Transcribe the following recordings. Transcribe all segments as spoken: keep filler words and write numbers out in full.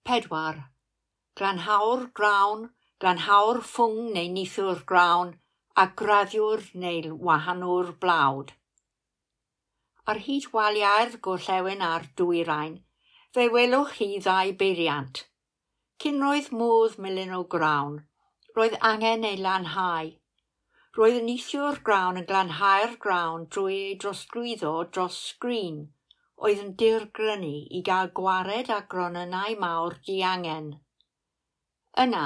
Pedwar. Glanhawr grawn, glanhawr ffwng neu nithiwr grawn, a graddiwr neu wahanwr blawd. Ar hyd waliau'r gorllewin a'r dwyrain, fe welwch chi ddau beiriant. Cyn roedd modd melino grawn, roedd angen ei lanhau. Roedd y nithiwr grawn yn glanhau'r grawn drwy ei drosglwyddo dros sgrin, oedd yn dirgrynu i gael gwared â gronynnau mawr diangen. Yna,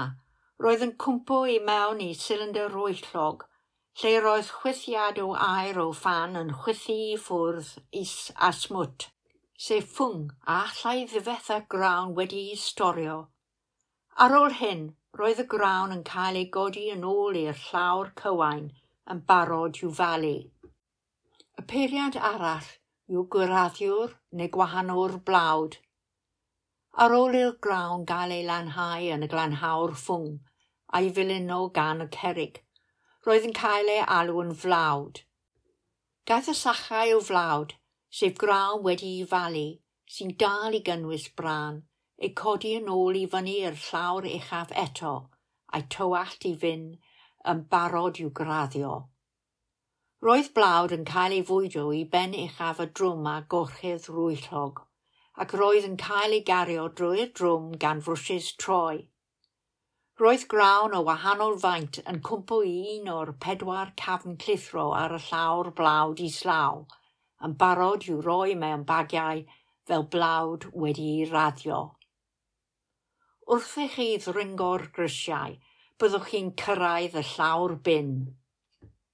roedd yn cwmpo i mewn i silindr rwyllog, lle roedd chwythiad o aer o ffan yn chwythu i ffwrdd is a smwt, sef ffwng a allai ddifetha grawn wedi'i storio. Ar ôl hyn, roedd y grawn yn cael ei godi yn ôl i'r llawr cywain yn barod i'w falu. Y peiriant arall yw graddiwr neu gwahanwr blawd. Ar ôl i'r grawn gael ei lanhau yn y glanhawr ffwng a'i filino gan y cerrig, roedd yn cael ei alw yn flawd. Gaeth y sachau o flawd, sef grawn wedi'i falu, sy'n dal i gynnwys brân, eu codi yn ôl i fyny i'r llawr uchaf eto, a'i tywallt i fynd yn barod i'w graddio. Roedd blawd yn cael ei fwydo i ben uchaf y drwm a gorchudd rwyllog, ac roedd yn cael ei gario drwy'r drwm gan frwshys troi. Roedd grawn o wahanol faint yn cwmpo i un o'r pedwar cafn clithro ar y llawr blawd islaw, yn barod i'w roi mewn bagiau fel blawd wedi'i raddio. Wrth i chi ddringo'r grisiau, byddwch chi'n cyrraedd y llawr bin.